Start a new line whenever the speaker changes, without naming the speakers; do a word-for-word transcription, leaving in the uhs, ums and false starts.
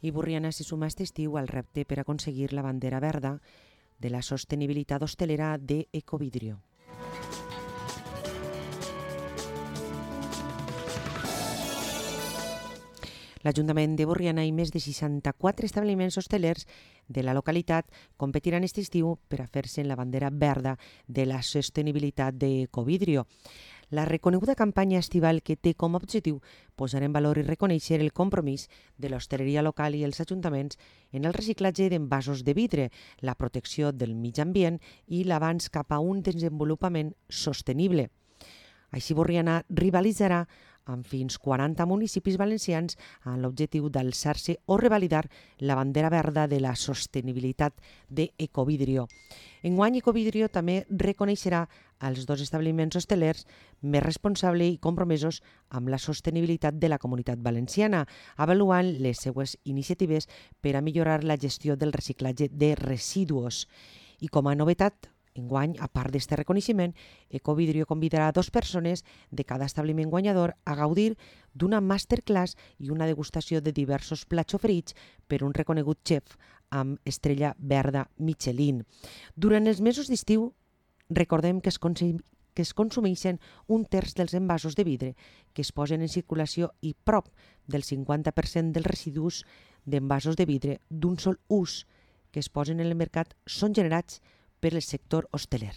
I Borriana se suma aquest estiu al repte per aconseguir la bandera verda de la sostenibilitat hostelera de Ecovidrio. L'Ajuntament de Borriana i més de seixanta-quatre establiments hostelers de la localitat competiran aquest estiu per a fer-se en la bandera verda de la sostenibilitat d'Ecovidrio. La reconeguda campanya estival que té com a objectiu posar en valor i reconèixer el compromís de l'hostaleria local i els ajuntaments en el reciclatge d'envasos de vidre, la protecció del mig ambient i l'avanç cap a un desenvolupament sostenible. Així, Borriana rivalitzarà amb fins quaranta municipis valencians amb l'objectiu d'alçar-se o revalidar la bandera verda de la sostenibilitat d'Ecovidrio. Enguany, Ecovidrio també reconeixerà els dos establiments hostelers més responsables i compromesos amb la sostenibilitat de la comunitat valenciana, avaluant les seues iniciatives per a millorar la gestió del reciclatge de residus. I com a novetat, enguany, a part d'aquest reconeixement, Ecovidrio convidarà a dues persones de cada establiment guanyador a gaudir d'una masterclass i una degustació de diversos plats oferits per un reconegut xef amb estrella verda Michelin. Durant els mesos d'estiu, recordem que es, consum que es consumeixen un terç dels envasos de vidre que es posen en circulació i prop del cinquanta per cent dels residus d'envasos de vidre d'un sol ús que es posen en el mercat són generats per el sector hosteler.